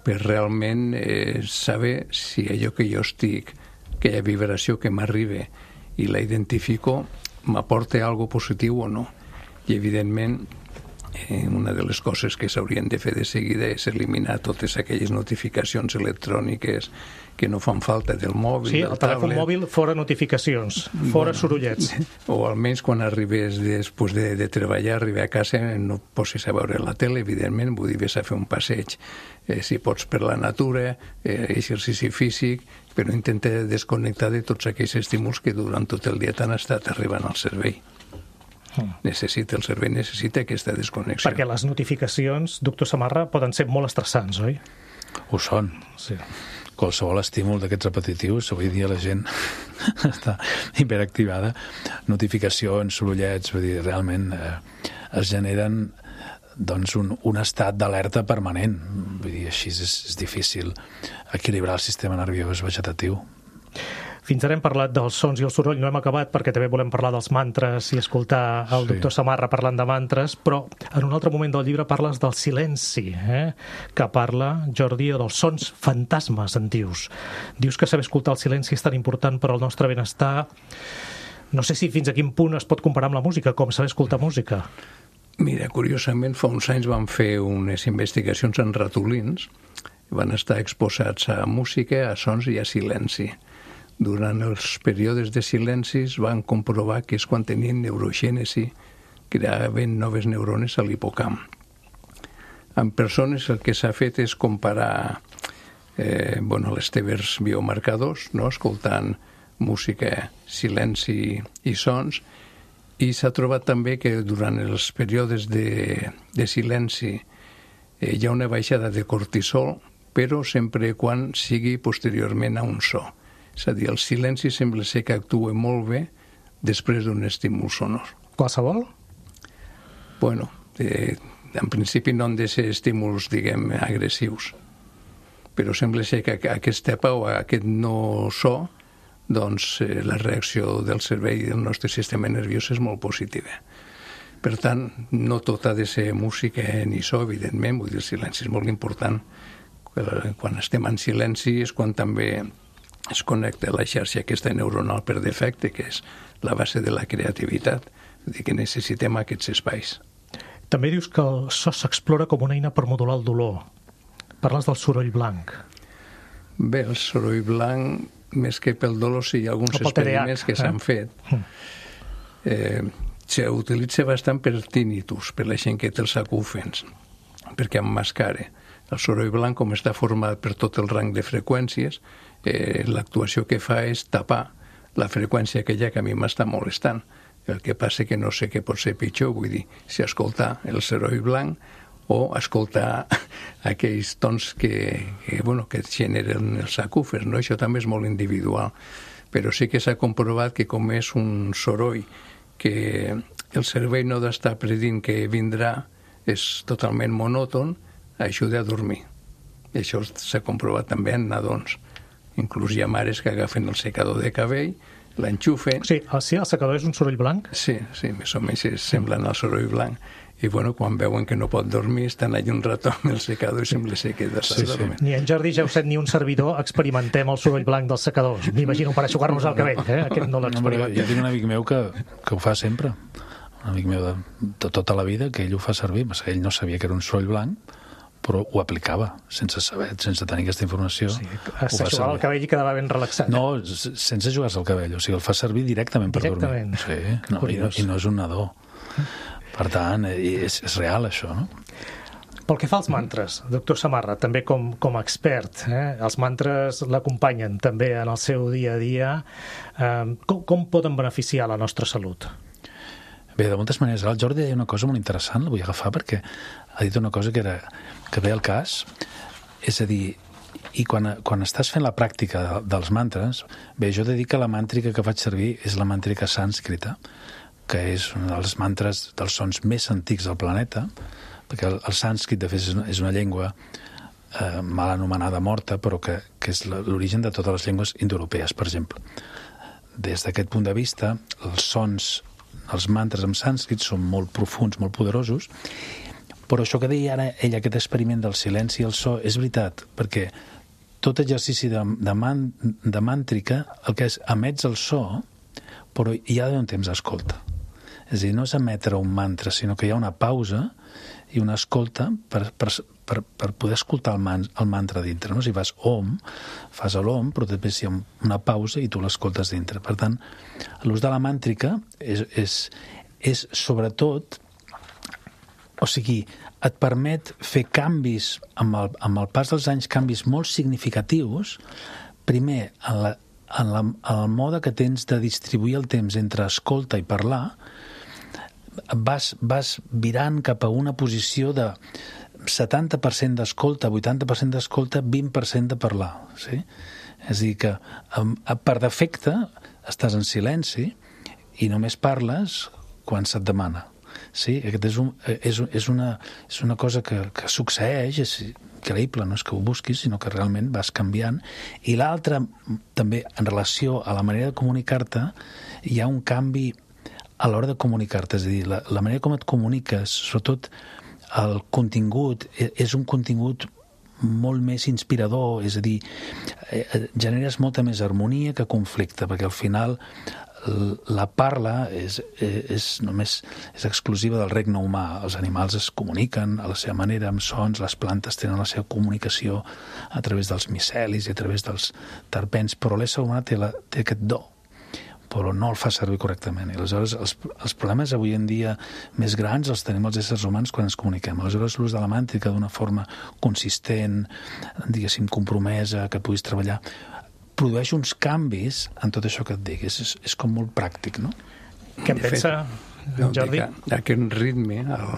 per realment eh, saber si allò que jo estic, aquella vibració que m'arriba i la identifico, m'aporta algo positiu o no. I, evidentment, eh, una de les coses que s'haurien de fer de seguida és eliminar totes aquelles notificacions electròniques que no fan falta del mòbil, sí, del el telèfon tablet. Mòbil, fora notificacions, fora bueno, sorollets. O almenys quan arribes després de, de treballar, arribar a casa, no posis a veure la tele, evidentment, vull dir, ves a fer un passeig, eh, si pots per la natura, eh, exercici físic, però intenta desconnectar de tots aquells estímuls que durant tot el dia t'han estat arribant al cervell. Mm. Necessita, el cervell necessita aquesta desconnexió. Perquè les notificacions, doctor Samarra, poden ser molt estressants, oi? Ho són, sí. Qualsevol estímul d'aquests repetitius, avui dia la gent està hiperactivada, notificacions, sorollets, vull dir, realment eh, es generen doncs un, un estat d'alerta permanent. Vull dir, així és, és difícil equilibrar el sistema nerviós vegetatiu. Fins ara hem parlat dels sons i el soroll, no hem acabat perquè també volem parlar dels mantres i escoltar el sí. doctor Samarra parlant de mantres, però en un altre moment del llibre parles del silenci, eh? que parla, Jordi, dels sons fantasmes, en dius. Dius que saber escoltar el silenci és tan important per al nostre benestar. No sé si fins a quin punt es pot comparar amb la música, com saber escoltar música. Mira, curiosament, fa uns anys van fer unes investigacions en ratolins, van estar exposats a música, a sons i a silenci. Durant els períodes de silencis van comprovar que és quan tenien neurogènesi, creaven noves neurones a l'hipocamp. Amb persones el que s'ha fet és comparar eh, bueno, les teves biomarcadors, no? Escoltant música, silenci i sons, i s'ha trobat també que durant els períodes de, de silenci eh, hi ha una baixada de cortisol, però sempre quan sigui posteriorment a un so. És a dir, el silenci sembla ser que actua molt bé després d'un estímul sonor. Qualsevol? Bueno, eh, en principi no han de ser estímuls, diguem, agressius, però sembla ser que aquesta pau, aquest no so, doncs eh, la reacció del cervell i del nostre sistema nerviós és molt positiva. Per tant, no tot ha de ser música ni so, evidentment, vull dir, el silenci és molt important. Quan estem en silenci és quan també es connecta la xarxa aquesta neuronal per defecte, que és la base de la creativitat. Vull dir que necessitem aquests espais. També dius que el so s'explora com una eina per modular el dolor. Parles del soroll blanc. Bé, el soroll blanc, més que pel dolor, sí, hi ha alguns experiments que s'han fet. Eh, S'utilitza bastant per tinnitus, per la gent que té els acúfens, perquè emmascara. El soroll blanc, com està format per tot el rang de freqüències, eh, l'actuació que fa és tapar la freqüència aquella que a mi m'està molestant. El que passa que no sé què pot ser pitjor, vull dir, si escoltar el soroll blanc o escoltar aquells tons que, que, bueno, que generen els acúfers, no? Això també és molt individual. Però sí que s'ha comprovat que com és un soroll que el cervell no ha d'estar predint que vindrà, és totalment monòton, ajuda a dormir. I això s'ha comprovat també en nadons. Inclús hi ha mares que agafen el secador de cabell, l'enxufen... Sí, sí, el secador és un soroll blanc? Sí, sí, més o menys semblen al soroll blanc. I bueno, quan veuen que no pot dormir, estan allà un rato amb el secador i sembla ser que s'ha sí, dormint. Sí. Ni en Jordi Jauset ni un servidor experimentem el soroll blanc dels secadors. M'imagino per aixugar-nos el cabell, eh? Aquest no l'experimentem. Jo tinc un amic meu que, que ho fa sempre. Un amic meu de, de tota la vida, que ell ho fa servir. Ell no sabia que era un soroll blanc, però ho aplicava, sense saber, sense tenir aquesta informació. Sí, s'aixugava el cabell i quedava ben relaxat. No, sense jugar-se el cabell, o sigui, el fa servir directament per directament. dormir. Sí, no, i, no, i no és un nadó. Per tant, és, és real, això, no? Pel que fa als mantres, doctor Samarra, també com, com a expert, eh? els mantres l'acompanyen també en el seu dia a dia. Eh, com, com poden beneficiar la nostra salut? Bé, de moltes maneres. El Jordi deia una cosa molt interessant, la vull agafar perquè ha dit una cosa que, era, que ve al cas. És a dir, i quan, quan estàs fent la pràctica de, dels mantres, bé, jo he de dir que la màntrica que faig servir és la màntrica sànscrita, que és un dels mantres dels sons més antics del planeta, perquè el, el sànscrit, de fet, és una, és una llengua eh, mal anomenada morta, però que, que és l'origen de totes les llengües indoeuropees, per exemple. Des d'aquest punt de vista, els sons, els mantres en sànscrit són molt profuns, molt poderosos, però això que deia ara ell, aquest experiment del silenci i el so, és veritat, perquè tot exercici de, de, man, de màntrica, el que és emets el so, però hi ha d'haver un temps d'escolta. És a dir, no és emetre un mantra, sinó que hi ha una pausa i una escolta per, per, per, per poder escoltar el, man, el mantra dintre. No? Si vas om, fas l'om, però després hi ha una pausa i tu l'escoltes dintre. Per tant, l'ús de la màntrica és, és, és sobretot, o sigui, et permet fer canvis amb el, amb el pas dels anys, canvis molt significatius, primer en, la, en, la, en el mode que tens de distribuir el temps entre escolta i parlar, vas, vas virant cap a una posició de setanta per cent d'escolta, vuitanta per cent d'escolta, vint per cent de parlar. Sí? És a dir, que per defecte estàs en silenci i només parles quan se't demana. Sí? Aquest és, un, és, és, una, és una cosa que, que succeeix, és increïble, no és que ho busquis, sinó que realment vas canviant. I l'altre, també, en relació a la manera de comunicar-te, hi ha un canvi a l'hora de comunicar-te, és a dir, la, la manera com et comuniques, sobretot el contingut, és un contingut molt més inspirador, és a dir, generes molta més harmonia que conflicte, perquè al final la parla és, és només és exclusiva del regne humà. Els animals es comuniquen a la seva manera, amb sons, les plantes tenen la seva comunicació a través dels micelis i a través dels terpens, però l'ésser humà té, la, té aquest do, però no el fa servir correctament. I aleshores els, els problemes avui en dia més grans els tenim els éssers humans quan ens comuniquem. Aleshores l'ús de la màntrica d'una forma consistent, diguéssim, compromesa, que puguis treballar, produeix uns canvis en tot això que et diguis. És, és com molt pràctic, no? Què en pensa, no, Jordi? Aquest ritme, el,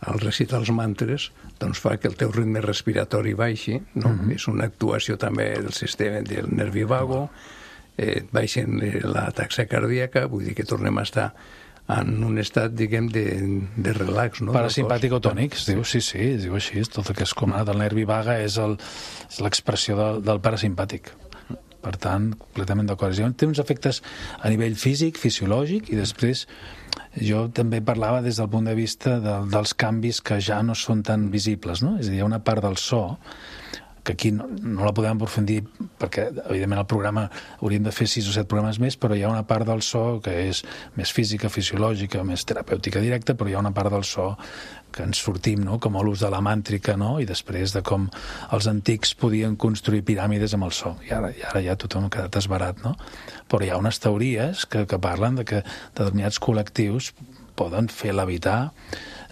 el recitar els mantres, doncs fa que el teu ritme respiratori baixi, no? Mm-hmm. És una actuació també del sistema del nervi vago, eh, baixen la taxa cardíaca, vull dir que tornem a estar en un estat, diguem, de, de relax, no? Parasimpàtic o tònic, es diu, sí, sí, es diu així, tot el que és comanat del nervi vaga és l'expressió del, del parasimpàtic. Per tant, completament d'acord. Té uns efectes a nivell físic, fisiològic, i després jo també parlava des del punt de vista de, dels canvis que ja no són tan visibles, no? És a dir, hi ha una part del so que aquí no, no la podem aprofundir perquè, evidentment, el programa hauríem de fer sis o set programes més, però hi ha una part del so que és més física, fisiològica, més terapèutica directa, però hi ha una part del so que ens sortim, no? Com l'ús de la màntrica, no? I després de com els antics podien construir piràmides amb el so. I ara, i ara ja tothom ha quedat esbarat, no? Però hi ha unes teories que, que parlen de que determinats col·lectius poden fer levitar,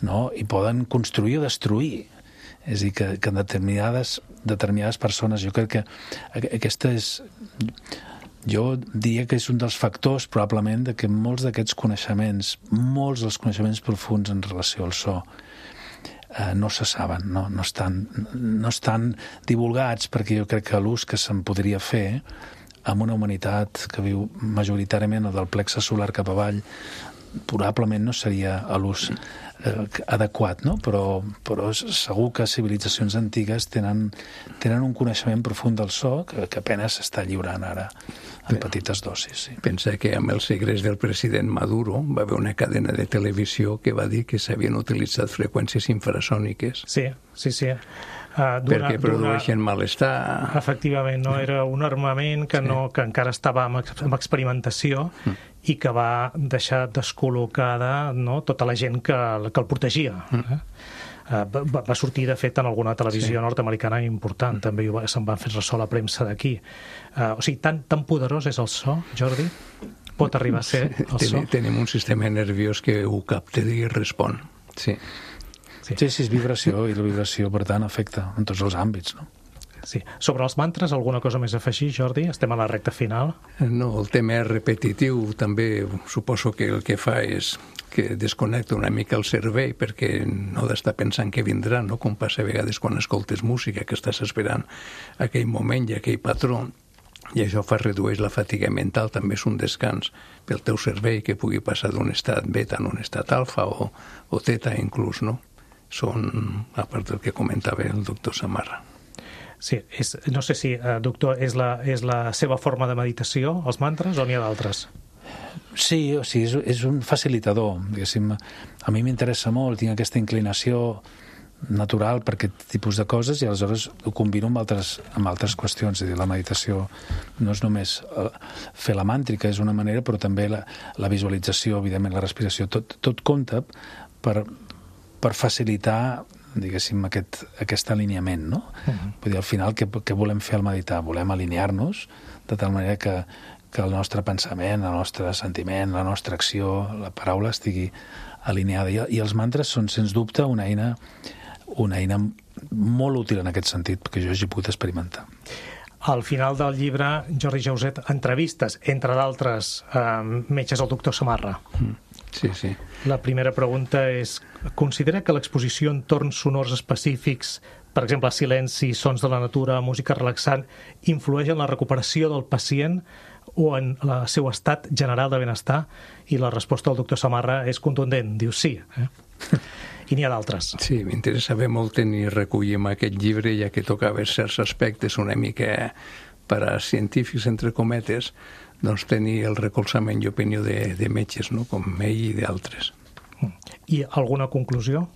no? I poden construir o destruir. És a dir, que, que determinades, determinades persones, jo crec que aquesta és... Jo diria que és un dels factors, probablement, de que molts d'aquests coneixements, molts dels coneixements profuns en relació al so, eh, no se saben, no, no, estan, no estan divulgats, perquè jo crec que l'ús que se'n podria fer amb una humanitat que viu majoritàriament del plexe solar cap avall, probablement no seria l'ús eh, adequat, no? Però, però segur que civilitzacions antigues tenen, tenen un coneixement profund del so que, que apenas s'està lliurant ara en petites dosis. Sí. Pensa que amb els segles del president Maduro va haver una cadena de televisió que va dir que s'havien utilitzat freqüències infrasòniques. Sí, sí, sí. Uh, perquè produeixen malestar. Efectivament, no? Era un armament que, sí. no, que encara estava en, en experimentació mm. i que va deixar descol·locada, no, tota la gent que, que el protegia. Mm. Eh? Uh, va, va sortir, de fet, en alguna televisió sí. nord-americana important, mm. també se'n van fer ressò a la premsa d'aquí. Uh, o sigui, tan, tan poderós és el so, Jordi? Pot arribar a ser el Ten, so? Tenim un sistema nerviós que ho capta i respon, sí. Sí, sí, és vibració, i la vibració, per tant, afecta en tots els àmbits, no? Sí. Sobre els mantres, alguna cosa més a afegir, Jordi? Estem a la recta final. No, el tema és repetitiu, també suposo que el que fa és que desconnecta una mica el cervell perquè no ha d'estar pensant què vindrà, no? Com passa a vegades quan escoltes música, que estàs esperant aquell moment i aquell patró, i això fa redueix la fatiga mental, també és un descans pel teu cervell que pugui passar d'un estat beta a un estat alfa o, o teta inclús, no? Són, a part del que comentava el doctor Samarra. Sí, és, no sé si, eh, doctor, és la, és la seva forma de meditació, els mantres, o n'hi ha d'altres? Sí, o sigui, és, és un facilitador, diguéssim. A mi m'interessa molt, tinc aquesta inclinació natural per aquest tipus de coses i aleshores ho combino amb altres, amb altres qüestions. És a dir, la meditació no és només fer la màntrica, és una manera, però també la, la visualització, evidentment, la respiració, tot, tot compta per, per facilitar, diguéssim, aquest, aquest alineament, no? Uh-huh. Vull dir, al final, què, què volem fer al meditar? Volem alinear-nos de tal manera que, que el nostre pensament, el nostre sentiment, la nostra acció, la paraula estigui alineada. I, i els mantres són, sens dubte, una eina, una eina molt útil en aquest sentit, perquè jo he pogut experimentar. Al final del llibre, Jordi Jauset, entrevistes, entre d'altres eh, metges, el doctor Samarra. Mm. Sí, sí. La primera pregunta és, considera que l'exposició en torns sonors específics, per exemple, silenci, sons de la natura, música relaxant, influeix en la recuperació del pacient o en el seu estat general de benestar? I la resposta del doctor Samarra és contundent, diu sí. Eh? I n'hi ha d'altres. Sí, m'interessava molt tenir recollir en aquest llibre, ja que tocava certs aspectes una mica per a científics, entre cometes, doncs tenir el recolzament i opinió de, de metges, no? Com ell i d'altres. I alguna conclusió?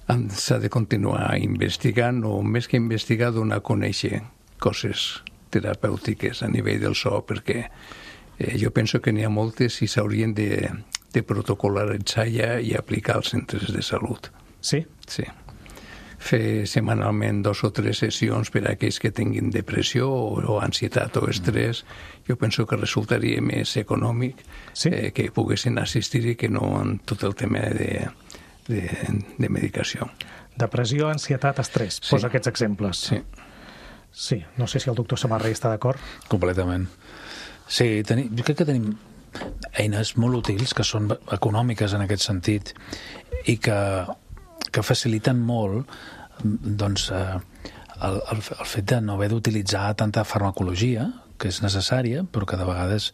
S'ha de continuar investigant, o més que investigar, donar a conèixer coses terapèutiques a nivell del so, perquè eh, jo penso que n'hi ha moltes i s'haurien de, de protocolaritzar ja i aplicar als centres de salut. Sí? Sí. Fer setmanalment dos o tres sessions per a aquells que tinguin depressió o, o ansietat o estrès, jo penso que resultaria més econòmic, sí? eh, que poguessin assistir-hi que no en tot el tema de, de, de medicació. Depressió, ansietat, estrès. Sí. Posa aquests exemples. Sí. Sí, no sé si el doctor Samarra hi està d'acord. Completament. Sí, tenim, jo crec que tenim eines molt útils que són econòmiques en aquest sentit i que que faciliten molt doncs, eh, el, el, el fet de no haver d'utilitzar tanta farmacologia, que és necessària, però que de vegades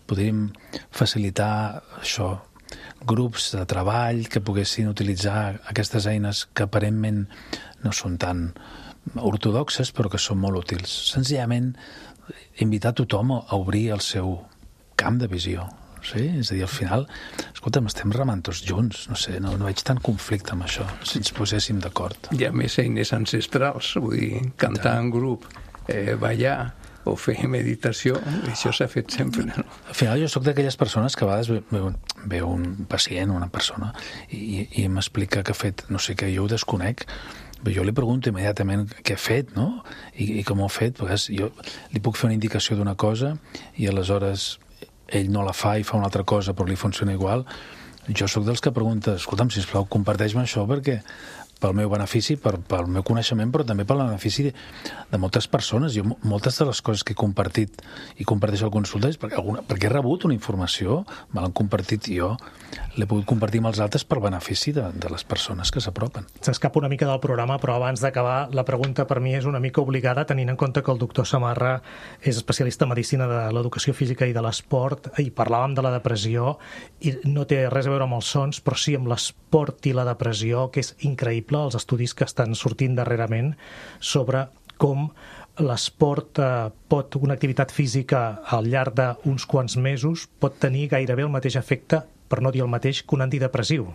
podríem facilitar això, grups de treball que poguessin utilitzar aquestes eines que aparentment no són tan ortodoxes, però que són molt útils. Senzillament, invitar tothom a obrir el seu camp de visió. Sí? És a dir, al final, escolta'm, estem remant tots junts, no sé, no, no veig tant conflicte amb això, si ens poséssim d'acord. Hi ha més eines ancestrals, vull dir, cantar en grup, eh, ballar o fer meditació, això s'ha fet sempre, no? Al final jo sóc d'aquelles persones que a vegades veu, veu un pacient, una persona, i, i m'explica que ha fet, no sé què, jo ho desconec, jo li pregunto immediatament què ha fet, no? I, i com ho ha fet, perquè jo li puc fer una indicació d'una cosa i aleshores ell no la fa i fa una altra cosa però li funciona igual. Jo sóc dels que pregunta, escolta'm, sisplau, comparteix-me això perquè pel meu benefici, per, pel meu coneixement, però també pel benefici de, de moltes persones. Jo, moltes de les coses que he compartit i comparteixo al consulta és perquè, alguna, perquè he rebut una informació, me l'han compartit i jo l'he pogut compartir amb els altres per benefici de, de les persones que s'apropen. S'escapa una mica del programa, però abans d'acabar, la pregunta per mi és una mica obligada, tenint en compte que el doctor Samarra és especialista en medicina de l'educació física i de l'esport, i parlàvem de la depressió, i no té res a veure amb els sons, però sí amb l'esport i la depressió, que és increïble, els estudis que estan sortint darrerament sobre com l'esport eh, pot, una activitat física al llarg d'uns quants mesos pot tenir gairebé el mateix efecte, per no dir el mateix, que un antidepressiu.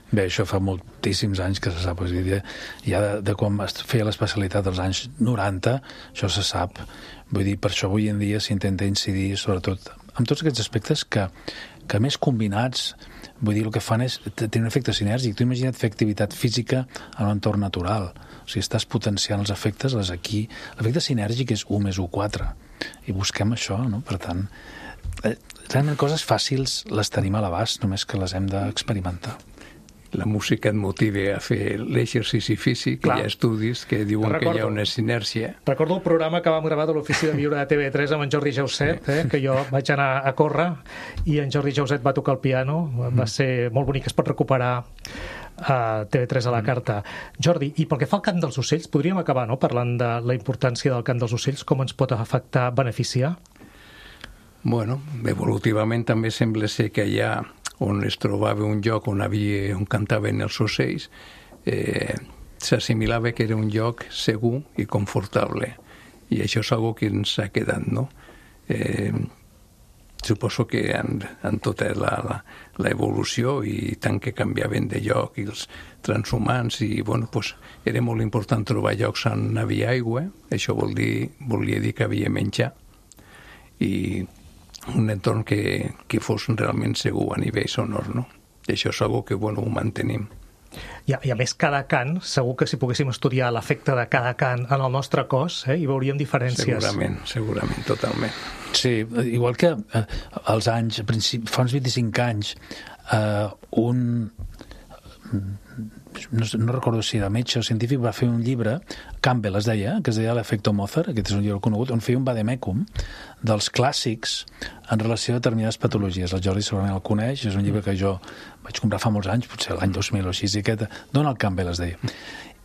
Bé, això fa moltíssims anys que se sap. És dir, ja de, de quan es feia l'especialitat dels anys noranta, això se sap. Vull dir, per això avui en dia s'intenta incidir sobretot en tots aquests aspectes que, que més combinats, vull dir, el que fan és tenir un efecte sinèrgic. Tu imagina't fer activitat física en un entorn natural. O sigui, estàs potenciant els efectes, les aquí. L'efecte sinèrgic és u més u, quatre. I busquem això, no? Per tant, realment coses fàcils les tenim a l'abast, només que les hem d'experimentar. la música et motiva a fer l'exercici físic, Clar. Hi ha estudis que diuen Recordo. que hi ha una sinèrcia. Recordo el programa que vam gravar de l'Ofici de Viure de T V tres amb en Jordi Jauset, eh, que jo vaig anar a córrer i en Jordi Jauset va tocar el piano, va ser molt bonic, es pot recuperar a T V tres a la carta. Jordi, i pel que fa al cant dels ocells, podríem acabar, no?, parlant de la importància del cant dels ocells, com ens pot afectar, beneficiar? Bueno, evolutivament també sembla ser que hi ha on es trobava un lloc on, havia, on cantaven els ocells, eh, s'assimilava que era un lloc segur i confortable. I això és una que ens ha quedat, no? Eh, suposo que en, en tota l'evolució i tant que canviaven de lloc i els transhumants, i bueno, pues, era molt important trobar llocs on hi havia aigua, això vol dir, volia dir que havia menjar, i un entorn que, que fos realment segur a nivell sonor, no? I això és una que, bueno, ho mantenim. I a, I a més, cada cant, segur que si poguéssim estudiar l'efecte de cada cant en el nostre cos, eh, hi veuríem diferències. Segurament, segurament, totalment. Sí, igual que eh, als anys, fa uns vint-i-cinc anys, eh, un... No, no recordo si era metge o científic, va fer un llibre, Campbell es deia, que es deia l'efecte Mozart, aquest és un llibre conegut, on feia un vademecum dels clàssics en relació a determinades patologies. El Jordi segurament el coneix, és un llibre que jo vaig comprar fa molts anys, potser l'any dos mil o així, i aquest, Donald Campbell es deia.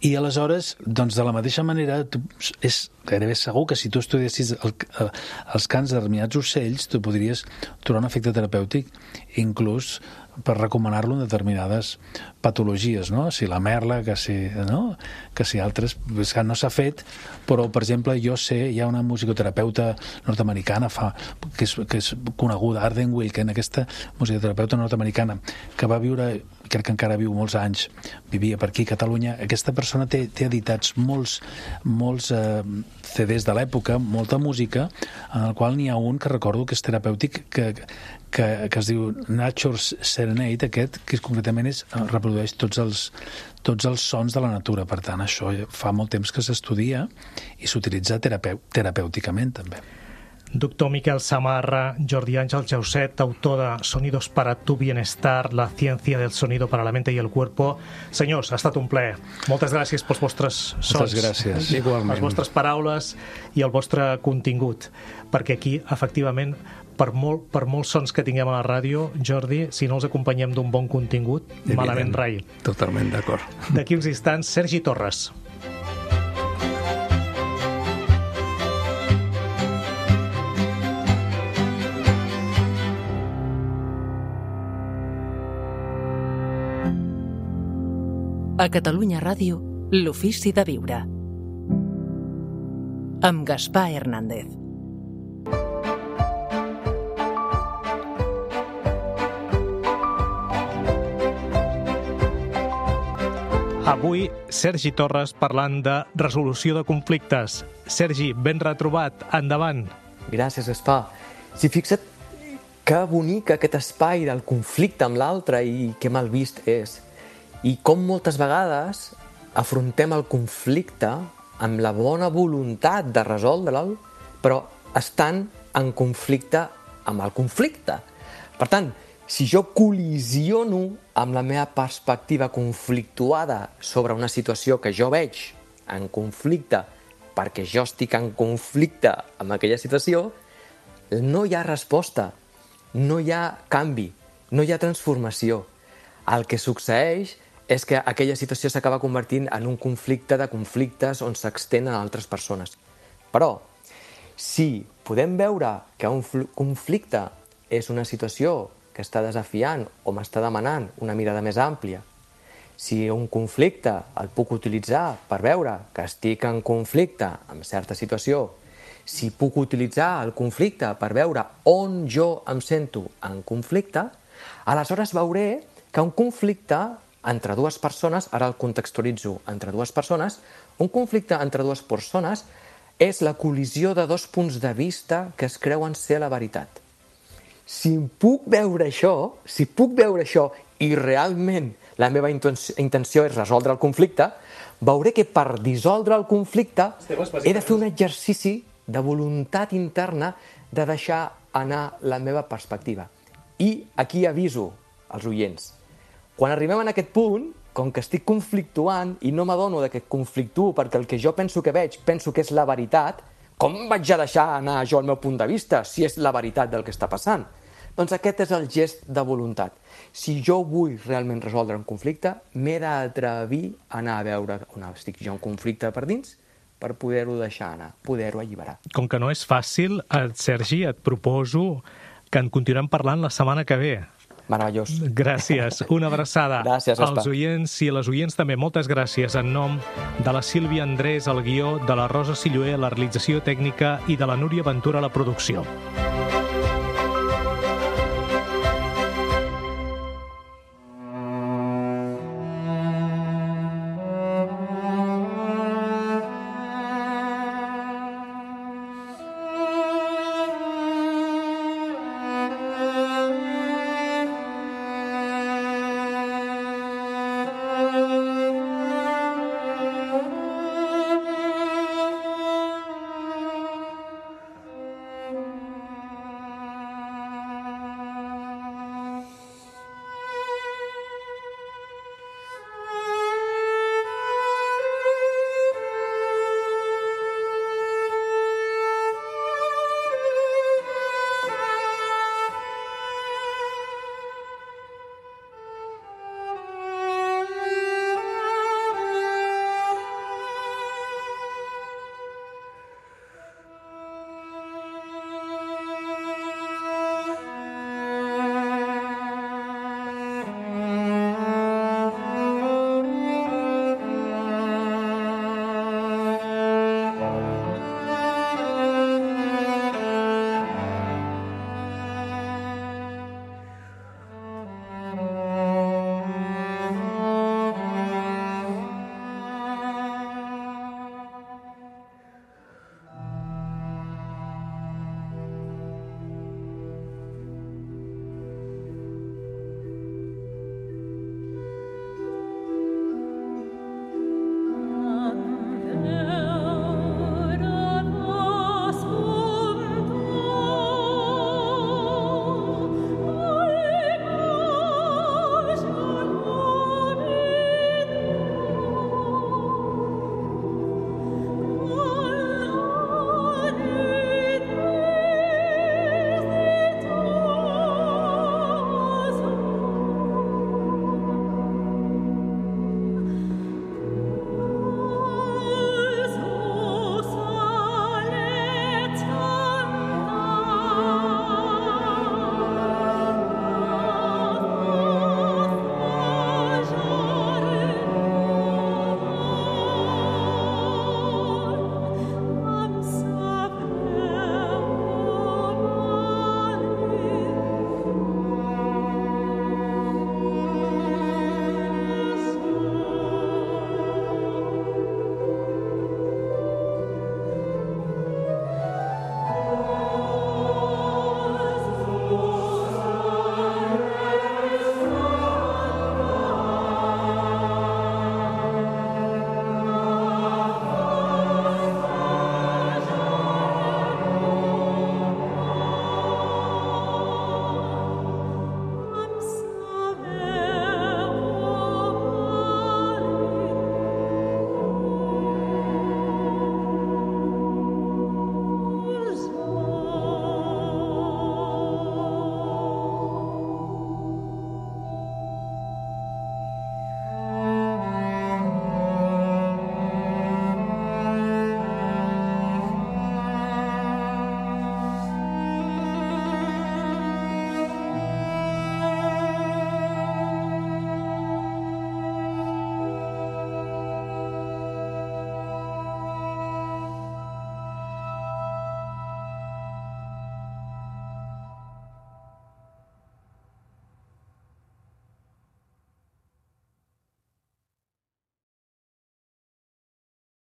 I aleshores, doncs de la mateixa manera, tu, és gairebé segur que si tu estudiessis el, el, els cants de determinats ocells, tu podries trobar un efecte terapèutic, inclús per recomanar-lo en determinades patologies, no? Si la merla, que si, no? que si altres, és que no s'ha fet, però, per exemple, jo sé, hi ha una musicoterapeuta nord-americana fa, que, és, que és coneguda, Arden Wilken, aquesta musicoterapeuta nord-americana, que va viure, crec que encara viu molts anys, vivia per aquí a Catalunya. Aquesta persona té, té editats molts, molts eh, C Ds de l'època, molta música, en el qual n'hi ha un que recordo que és terapèutic, que, que, que es diu Nature's Serenade, aquest, que concretament és, reprodueix tots els, tots els sons de la natura. Per tant, això fa molt temps que s'estudia i s'utilitza terapeu, terapèuticament, també. Doctor Miquel Samarra, Jordi Àngel Jauset, autor de Sonidos para tu bienestar, la ciencia del sonido para la mente y el cuerpo. Senyors, ha estat un plaer. Moltes gràcies pels vostres sons. Moltes gràcies. Igualment. Les vostres paraules i el vostre contingut. Perquè aquí, efectivament, per, molt, per molts sons que tinguem a la ràdio, Jordi, si no els acompanyem d'un bon contingut, evident, malament rai. Totalment d'acord. D'aquí uns instants, Sergi Torres. A Catalunya Ràdio, l'Ofici de Viure. Amb Gaspar Hernández. Avui, Sergi Torres parlant de resolució de conflictes. Sergi, ben retrobat. Endavant. Gràcies, Gaspar. Si fixa't que bonic aquest espai del conflicte amb l'altre i que mal vist és. I com moltes vegades afrontem el conflicte amb la bona voluntat de resoldre'l, però estan en conflicte amb el conflicte. Per tant, si jo col·lisiono amb la meva perspectiva conflictuada sobre una situació que jo veig en conflicte perquè jo estic en conflicte amb aquella situació, no hi ha resposta, no hi ha canvi, no hi ha transformació. El que succeeix és que aquella situació s'acaba convertint en un conflicte de conflictes on s'extenen a altres persones. Però, si podem veure que un conflicte és una situació que està desafiant o m'està demanant una mirada més àmplia, si un conflicte el puc utilitzar per veure que estic en conflicte amb certa situació, si puc utilitzar el conflicte per veure on jo em sento en conflicte, aleshores veuré que un conflicte entre dues persones, ara el contextualitzo entre dues persones, un conflicte entre dues persones és la col·lisió de dos punts de vista que es creuen ser la veritat. Si puc veure això, si puc veure això i realment la meva intenció és resoldre el conflicte, veuré que per dissoldre el conflicte he de fer un exercici de voluntat interna de deixar anar la meva perspectiva. I aquí aviso als oients, Quan arribem a aquest punt, com que estic conflictuant i no m'adono de que conflictuo perquè el que jo penso que veig, penso que és la veritat, com vaig a deixar anar jo el meu punt de vista si és la veritat del que està passant? Doncs aquest és el gest de voluntat. Si jo vull realment resoldre un conflicte, m'he d'atrevir a anar a veure on estic jo en conflicte per dins per poder-ho deixar anar, poder-ho alliberar. Com que no és fàcil, Sergi, et proposo que en continuem parlant la setmana que ve. Meravellós. Gràcies. Una abraçada. Gràcies, Gaspar. Als oients i les oients també, moltes gràcies en nom de la Sílvia Andrés al guió, de la Rosa Silloé a la realització tècnica i de la Núria Ventura a la producció.